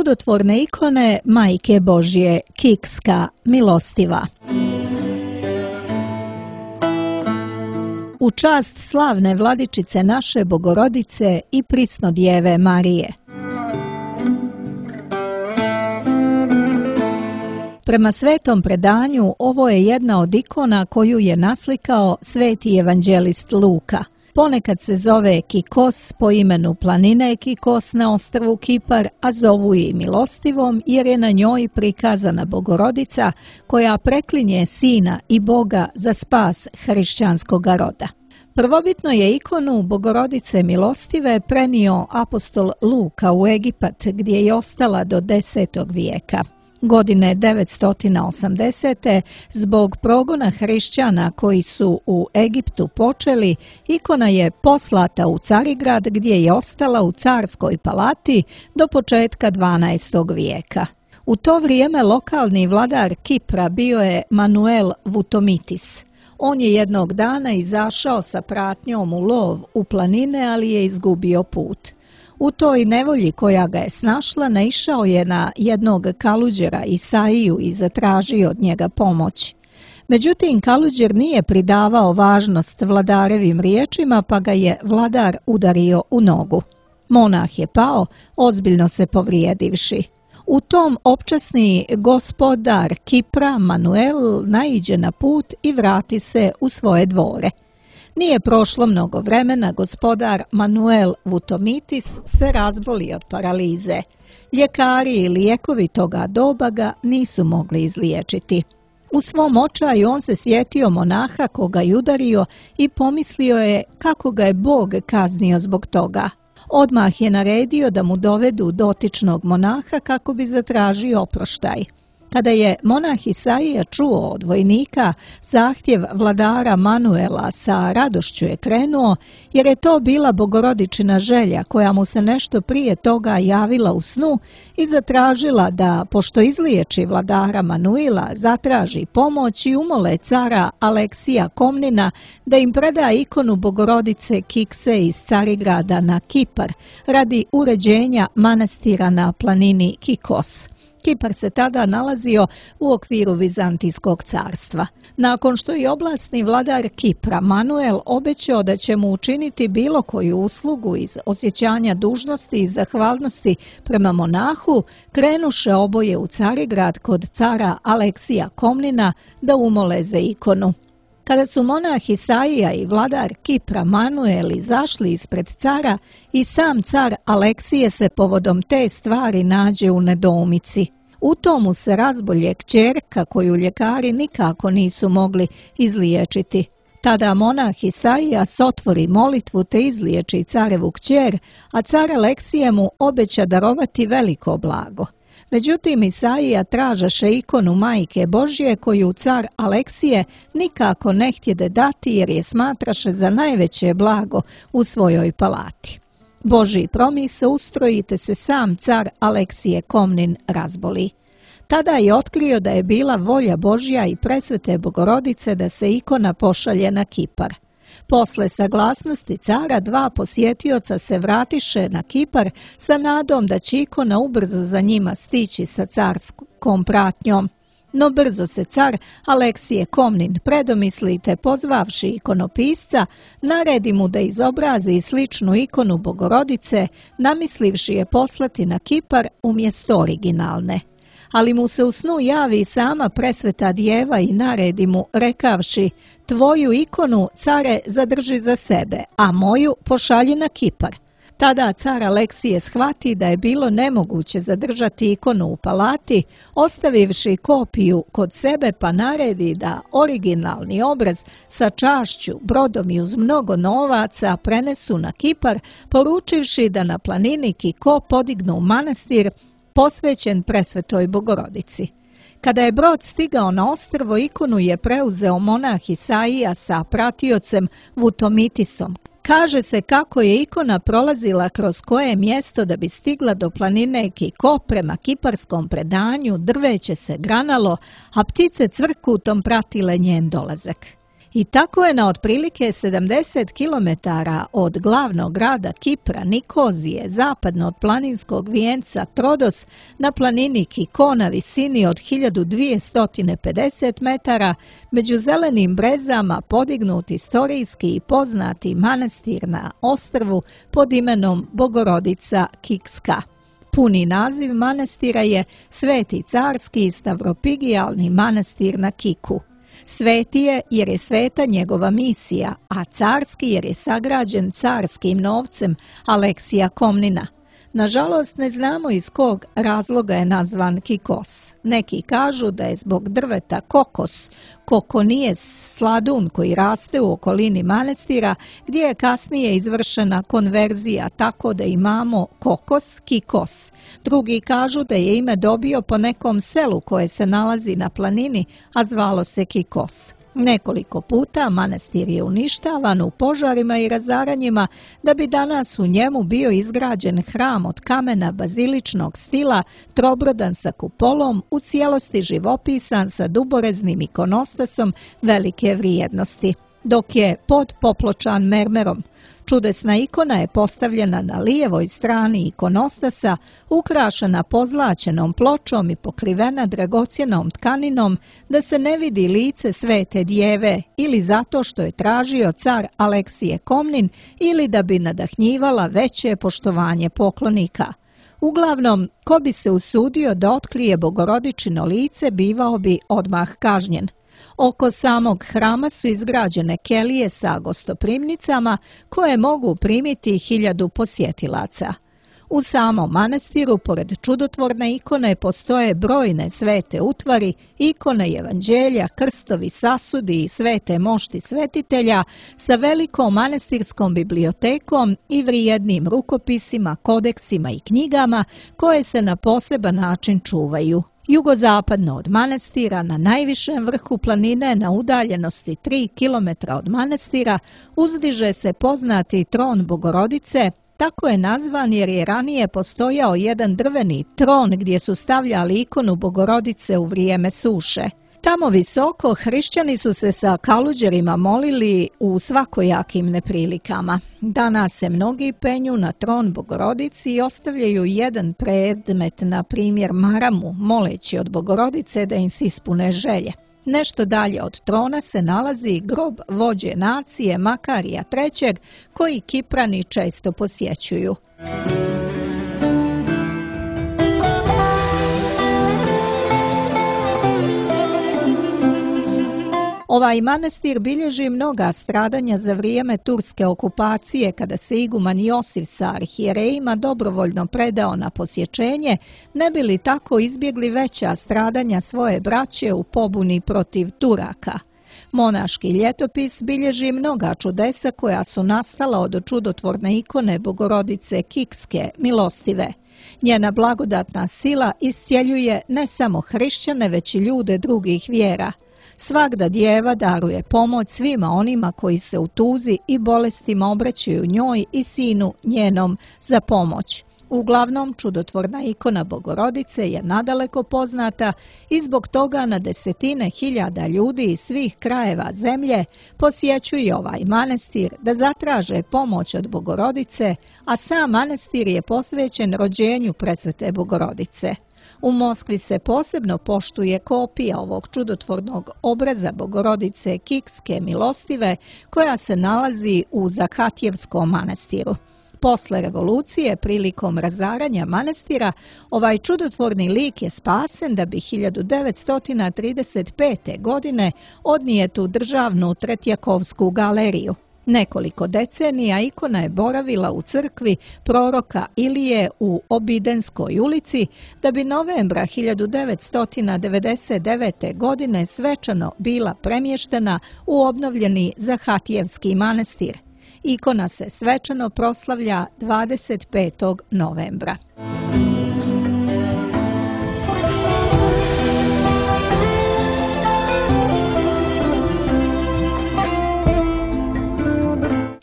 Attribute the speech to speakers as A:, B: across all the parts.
A: čudotvorne ikone Majke Božje, Kikska, milostiva. U čast slavne vladičice naše Bogorodice i Prisnodjeve Marije. Prema svetom predanju, ovo je jedna od ikona koju je naslikao sveti evanđelist Luka. Ponekad se zove Kikos po imenu planine Kikos na ostrvu Kipar, a zovu je milostivom jer je na njoj prikazana Bogorodica koja preklinje Sina i Boga za spas hrišćanskog roda. Prvobitno je ikonu Bogorodice milostive prenio apostol Luka u Egipat gdje je ostala do 10. vijeka. Godine 980. zbog progona hrišćana koji su u Egiptu počeli, ikona je poslata u Carigrad gdje je ostala u carskoj palati do početka 12. vijeka. U to vrijeme lokalni vladar Kipra bio je Manuel Vutomitis. On je jednog dana izašao sa pratnjom u lov u planine, ali je izgubio put. U toj nevolji koja ga je snašla, naišao je na jednog kaluđera Isaiju i zatražio od njega pomoć. Međutim, kaluđer nije pridavao važnost vladarevim riječima, pa ga je vladar udario u nogu. Monah je pao, ozbiljno se povrijedivši. U tom opčasni gospodar Kipra, Manuel, naiđe na put i vrati se u svoje dvore. Nije prošlo mnogo vremena, gospodar Manuel Vutomitis se razboli od paralize. Ljekari i lijekovi toga doba ga nisu mogli izliječiti. U svom očaju on se sjetio monaha koga je udario i pomislio je kako ga je Bog kaznio zbog toga. Odmah je naredio da mu dovedu dotičnog monaha kako bi zatražio oproštaj. Kada je monah Isaija čuo od vojnika zahtjev vladara Manuela, sa radošću je krenuo, jer je to bila Bogorodičina želja koja mu se nešto prije toga javila u snu i zatražila da, pošto izliječi vladara Manuela, zatraži pomoć i umole cara Aleksija Komnina da im preda ikonu Bogorodice Kikse iz Carigrada na Kipar radi uređenja manastira na planini Kikos. Kipar se tada nalazio u okviru Vizantijskog carstva. Nakon što je oblasni vladar Kipra Manuel obećao da će mu učiniti bilo koju uslugu iz osjećanja dužnosti i zahvalnosti prema monahu, krenuše oboje u Carigrad kod cara Aleksija Komnina da umole za ikonu. Kada su monah Isaija i vladar Kipra Manuel izašli ispred cara, i sam car Aleksije se povodom te stvari nađe u nedoumici. U tomu se razbolje kćerka koju ljekari nikako nisu mogli izliječiti. Tada monah Isaija otvori molitvu te izliječi carevu kćer, a car Aleksije mu obeća darovati veliko blago. Međutim, Isaija tražaše ikonu Majke Božje koju car Aleksije nikako ne htjede dati jer je smatraše za najveće blago u svojoj palati. Božji promis ustrojite se sam car Aleksije Komnin razboli. Tada je otkrio da je bila volja Božja i presvete Bogorodice da se ikona pošalje na Kipar. Posle saglasnosti cara, dva posjetioca se vratiše na Kipar sa nadom da će ikona ubrzo za njima stići sa carskom pratnjom. No brzo se car Aleksije Komnin predomisli te pozvavši ikonopisca, naredi mu da izobrazi sličnu ikonu Bogorodice, namislivši je poslati na Kipar umjesto originalne. Ali mu se u snu javi sama presveta djeva i naredi mu, rekavši: tvoju ikonu, care, zadrži za sebe, a moju pošalji na Kipar. Tada car Aleksije shvati da je bilo nemoguće zadržati ikonu u palati, ostavivši kopiju kod sebe, pa naredi da originalni obraz sa čašću, brodom i uz mnogo novaca prenesu na Kipar, poručivši da na planini Kiko podignu manastir posvećen presvetoj Bogorodici. Kada je brod stigao na ostrvo, ikonu je preuzeo monah Isaija sa pratiocem Vutomitisom. Kaže se kako je ikona prolazila kroz koje mjesto da bi stigla do planine Kiko. Prema kiparskom predanju drveće se granalo, a ptice cvrkutom pratile njen dolazak. I tako je na otprilike 70 km od glavnog grada Kipra, Nikozije, zapadno od planinskog vijenca Trodos, na planini Kiko na visini od 1250 metara, među zelenim brezama podignut istorijski i poznati manastir na ostrvu pod imenom Bogorodica Kikska. Puni naziv manastira je Sveti carski stavropigijalni manastir na Kiku. Sveti je jer je sveta njegova misija, a carski jer je sagrađen carskim novcem Aleksija Komnina. Nažalost, ne znamo iz kog razloga je nazvan Kikos. Neki kažu da je zbog drveta kokos, kokonijes, sladun koji raste u okolini manastira, gdje je kasnije izvršena konverzija tako da imamo kokos, Kikos. Drugi kažu da je ime dobio po nekom selu koje se nalazi na planini, a zvalo se Kikos. Nekoliko puta manastir je uništavan u požarima i razaranjima da bi danas u njemu bio izgrađen hram od kamena baziličnog stila, trobrodan sa kupolom, u cijelosti živopisan sa duboreznim ikonostasom velike vrijednosti, dok je pod popločan mermerom. Čudesna ikona je postavljena na lijevoj strani ikonostasa, ukrašena pozlaćenom pločom i pokrivena dragocjenom tkaninom da se ne vidi lice svete djeve, ili zato što je tražio car Aleksije Komnin ili da bi nadahnjivala veće poštovanje poklonika. Uglavnom, ko bi se usudio da otkrije Bogorodičino lice, bivao bi odmah kažnjen. Oko samog hrama su izgrađene kelije sa gostoprimnicama koje mogu primiti 1000 posjetilaca. U samom manastiru, pored čudotvorne ikone, postoje brojne svete utvari, ikone evanđelja, krstovi, sasudi i svete mošti svetitelja sa velikom manastirskom bibliotekom i vrijednim rukopisima, kodeksima i knjigama koje se na poseban način čuvaju. Jugozapadno od manastira, na najvišem vrhu planine, na udaljenosti 3 km od manastira, uzdiže se poznati tron Bogorodice. Tako je nazvan jer je ranije postojao jedan drveni tron gdje su stavljali ikonu Bogorodice u vrijeme suše. Tamo visoko hrišćani su se sa kaluđerima molili u svakojakim neprilikama. Danas se mnogi penju na tron Bogorodici i ostavljaju jedan predmet, na primjer maramu, moleći od Bogorodice da im se ispune želje. Nešto dalje od trona se nalazi grob vođe nacije Makarija III, koji Kiprani često posjećuju. Ovaj manastir bilježi mnoga stradanja za vrijeme turske okupacije, kada se iguman Josif sa arhijerejima dobrovoljno predao na posjećenje, ne bi li tako izbjegli veća stradanja svoje braće u pobuni protiv Turaka. Monaški ljetopis bilježi mnoga čudesa koja su nastala od čudotvorne ikone Bogorodice Kikske, milostive. Njena blagodatna sila iscjeljuje ne samo hrišćane, već i ljude drugih vjera. Svagda djeva daruje pomoć svima onima koji se u tuzi i bolestima obraćaju njoj i sinu njenom za pomoć. Uglavnom, čudotvorna ikona Bogorodice je nadaleko poznata i zbog toga na desetine hiljada ljudi iz svih krajeva zemlje posjećuju ovaj manastir da zatraže pomoć od Bogorodice, a sam manastir je posvećen rođenju presvete Bogorodice. U Moskvi se posebno poštuje kopija ovog čudotvornog obraza Bogorodice Kikske milostive koja se nalazi u Zahatjevskom manastiru. Posle revolucije, prilikom razaranja manastira, ovaj čudotvorni lik je spasen da bi 1935. godine odnijet u državnu Tretjakovsku galeriju. Nekoliko decenija ikona je boravila u crkvi proroka Ilije u Obidenskoj ulici, da bi novembra 1999. godine svečano bila premještena u obnovljeni Zahatjevski manastir. Ikona se svečano proslavlja 25. novembra.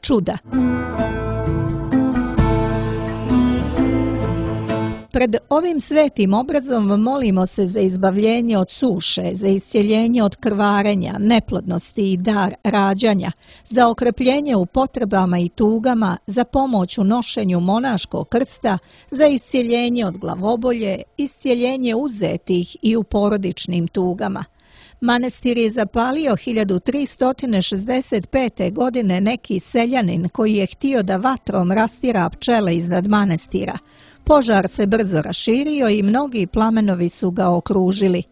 A: Čuda. Pred ovim svetim obrazom molimo se za izbavljenje od suše, za iscjeljenje od krvarenja, neplodnosti i dar rađanja, za okrepljenje u potrebama i tugama, za pomoć u nošenju monaškog krsta, za iscjeljenje od glavobolje, iscjeljenje uzetih i u porodičnim tugama. Manastir je zapalio 1365. godine neki seljanin koji je htio da vatrom rastira pčele iznad manastira. Požar se brzo raširio i mnogi plamenovi su ga okružili.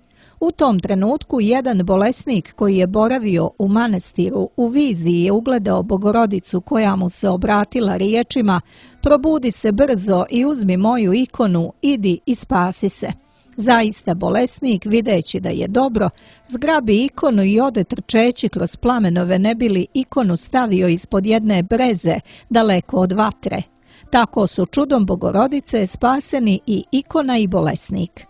A: U tom trenutku jedan bolesnik koji je boravio u manastiru u viziji je ugledao Bogorodicu koja mu se obratila riječima: "Probudi se brzo i uzmi moju ikonu, idi i spasi se." Zaista bolesnik, videći da je dobro, zgrabi ikonu i ode trčeći kroz plamenove ne bi li ikonu stavio ispod jedne breze daleko od vatre. Tako su čudom Bogorodice spaseni i ikona i bolesnik.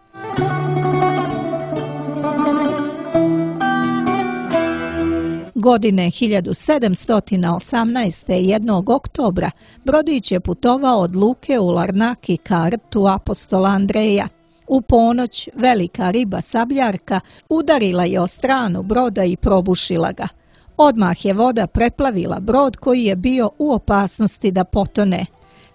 A: Godine 1718. jednog oktobra brodić je putovao od luke u Larnaki ka rtu apostola Andreja. U ponoć velika riba sabljarka udarila je o stranu broda i probušila ga. Odmah je voda preplavila brod koji je bio u opasnosti da potone.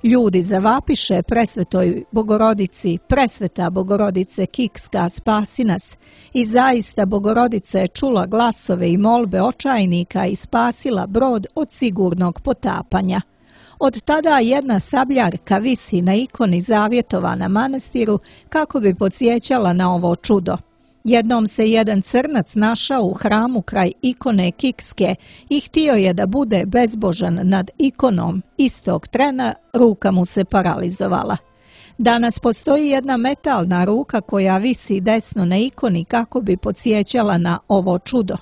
A: Ljudi zavapiše presvetoj Bogorodici: "Presveta Bogorodice Kikska, spasi nas." I zaista Bogorodica je čula glasove i molbe očajnika i spasila brod od sigurnog potapanja. Od tada jedna sabljarka visi na ikoni zavjetova na manastiru kako bi podsjećala na ovo čudo. Jednom se jedan crnac našao u hramu kraj ikone Kikske i htio je da bude bezbožan nad ikonom. Istog trena ruka mu se paralizovala. Danas postoji jedna metalna ruka koja visi desno na ikoni kako bi podsjećala na ovo čudo.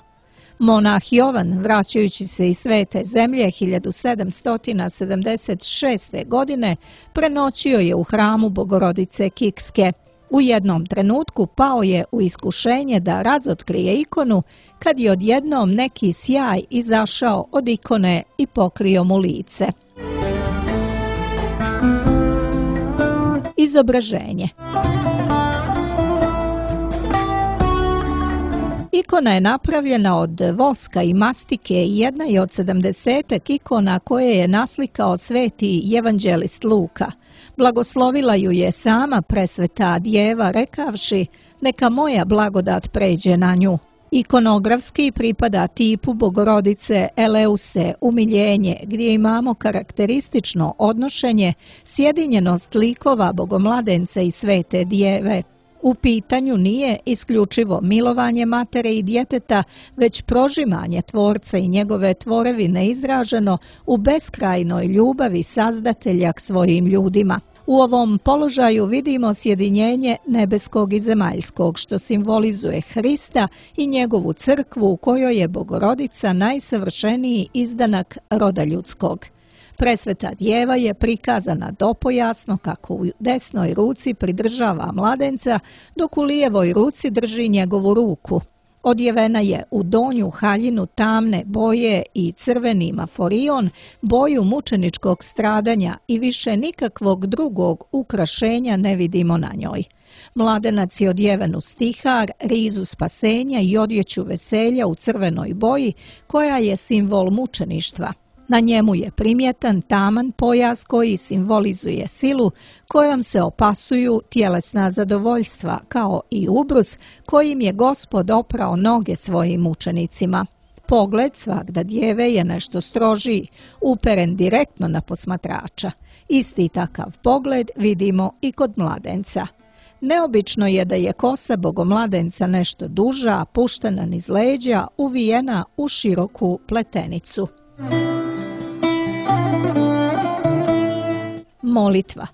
A: Monah Jovan, vraćajući se iz Svete zemlje 1776. godine, prenoćio je u hramu Bogorodice Kikske. U jednom trenutku pao je u iskušenje da razotkrije ikonu kad je odjednom neki sjaj izašao od ikone i pokrio mu lice. Izobraženje. Ikona je napravljena od voska i mastike i jedna je od 70 ikona koje je naslikao sveti evanđelist Luka. Blagoslovila ju je sama presveta djeva rekavši: "Neka moja blagodat pređe na nju." Ikonografski pripada tipu Bogorodice Eleuse, umiljenje, gdje imamo karakteristično odnošenje, sjedinjenost likova Bogomladence i svete djeve. U pitanju nije isključivo milovanje matere i djeteta, već prožimanje tvorca i njegove tvorevine izraženo u beskrajnoj ljubavi Sazdatelja k svojim ljudima. U ovom položaju vidimo sjedinjenje nebeskog i zemaljskog, što simbolizuje Hrista i njegovu crkvu u kojoj je Bogorodica najsavršeniji izdanak roda ljudskog. Presveta djeva je prikazana dopojasno kako u desnoj ruci pridržava mladenca, dok u lijevoj ruci drži njegovu ruku. Odjevena je u donju haljinu tamne boje i crveni maforion, boju mučeničkog stradanja, i više nikakvog drugog ukrašenja ne vidimo na njoj. Mladenac je odjeven u stihar, rizu spasenja i odjeću veselja u crvenoj boji, koja je simbol mučeništva. Na njemu je primjetan taman pojas koji simbolizuje silu kojom se opasuju tjelesna zadovoljstva, kao i ubrus kojim je Gospod oprao noge svojim mučenicima. Pogled svagda djeve je nešto strožiji, uperen direktno na posmatrača. Isti takav pogled vidimo i kod mladenca. Neobično je da je kosa Bogomladenca nešto duža, puštena niz leđa, uvijena u široku pletenicu. Molitva.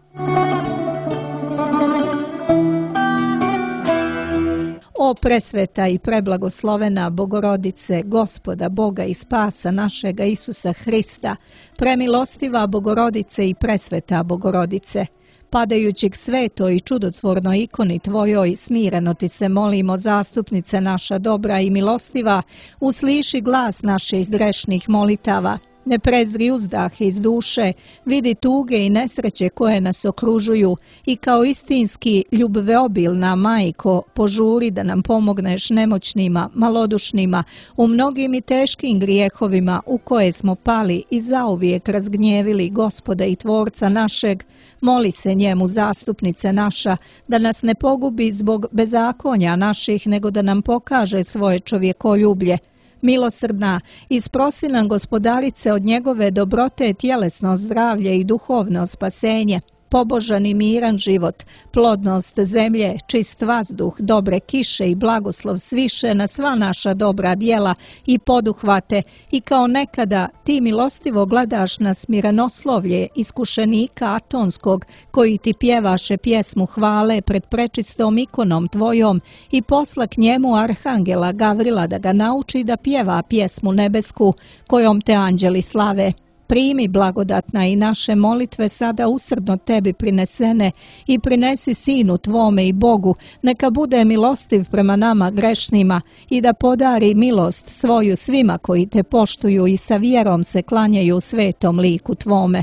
A: O presveta i preblagoslovena Bogorodice, Gospoda, Boga i spasa našega Isusa Hrista, premilostiva Bogorodice i presveta Bogorodice, padajući k svetoj i čudotvornoj ikoni Tvojoj, smireno Ti se molimo, zastupnice naša dobra i milostiva, usliši glas naših grešnih molitava. Ne prezri uzdah iz duše, vidi tuge i nesreće koje nas okružuju i kao istinski ljubveobilna majko požuri da nam pomogneš nemoćnima, malodušnima, u mnogim i teškim grijehovima u koje smo pali i zauvijek razgnjevili Gospoda i Tvorca našeg. Moli se njemu, zastupnice naša, da nas ne pogubi zbog bezakonja naših, nego da nam pokaže svoje čovjekoljublje. Milosrdna, isprosi nam Gospodarice od njegove dobrote tjelesno zdravlje i duhovno spasenje, pobožan i miran život, plodnost zemlje, čist vazduh, dobre kiše i blagoslov sviše na sva naša dobra djela i poduhvate i kao nekada ti milostivo gledaš na smirenoslovlje iskušenika Atonskog koji ti pjevaše pjesmu hvale pred prečistom ikonom tvojom i posla k njemu arhangela Gavrila da ga nauči da pjeva pjesmu nebesku kojom te anđeli slave. Primi blagodatna i naše molitve sada usrdno tebi prinesene i prinesi Sinu tvome i Bogu, neka bude milostiv prema nama grešnima i da podari milost svoju svima koji te poštuju i sa vjerom se klanjaju svetom liku tvome.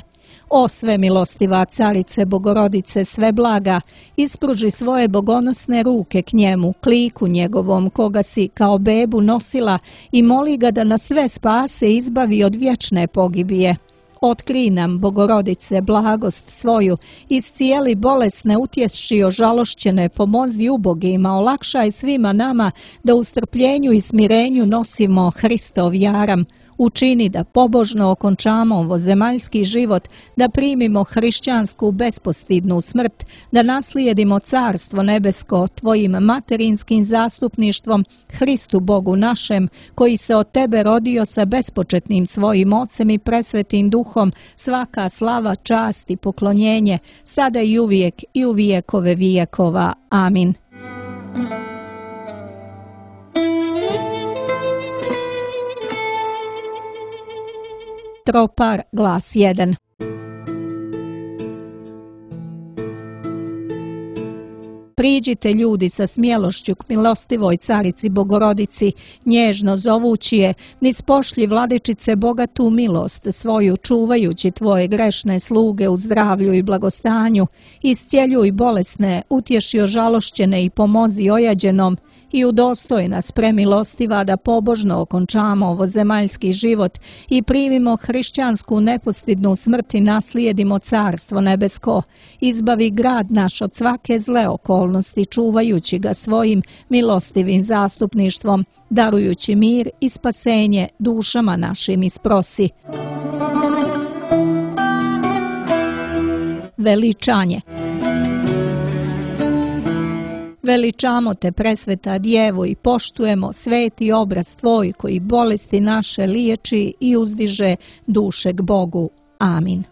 A: O sve milostiva carice Bogorodice sve blaga, ispruži svoje bogonosne ruke k njemu, k liku njegovom koga si kao bebu nosila i moli ga da nas sve spase i izbavi od vječne pogibije. Otkri nam, Bogorodice, blagost svoju, iscijeli bolesne, utješi ožalošćene, pomozi ubogima, olakšaj svima nama da u strpljenju i smirenju nosimo Hristov jaram. Učini da pobožno okončamo ovozemaljski život, da primimo hrišćansku bespostidnu smrt, da naslijedimo carstvo nebesko tvojim materinskim zastupništvom Hristu Bogu našem, koji se od tebe rodio sa bespočetnim svojim Ocem i presvetim Duhom, svaka slava, čast i poklonjenje, sada i uvijek i u vijekove vijekova. Amin. Tropar, glas 1. Priđite ljudi sa smjelošću k milostivoj carici Bogorodici, nježno zovući je, niz pošlji vladičice bogatu milost svoju, čuvajući tvoje grešne sluge u zdravlju i blagostanju, iscijeljuj bolesne, utješi ožalošćene i pomozi ojađenom, i udostoj nas premilostiva da pobožno okončamo ovozemaljski život i primimo hrišćansku nepostidnu smrt i naslijedimo carstvo nebesko. Izbavi grad naš od svake zle okolnosti, čuvajući ga svojim milostivim zastupništvom, darujući mir i spasenje dušama našim isprosi. Veličanje. Veličamo te, presveta Djevo, i poštujemo sveti obraz tvoj koji bolesti naše liječi i uzdiže duše k Bogu. Amin.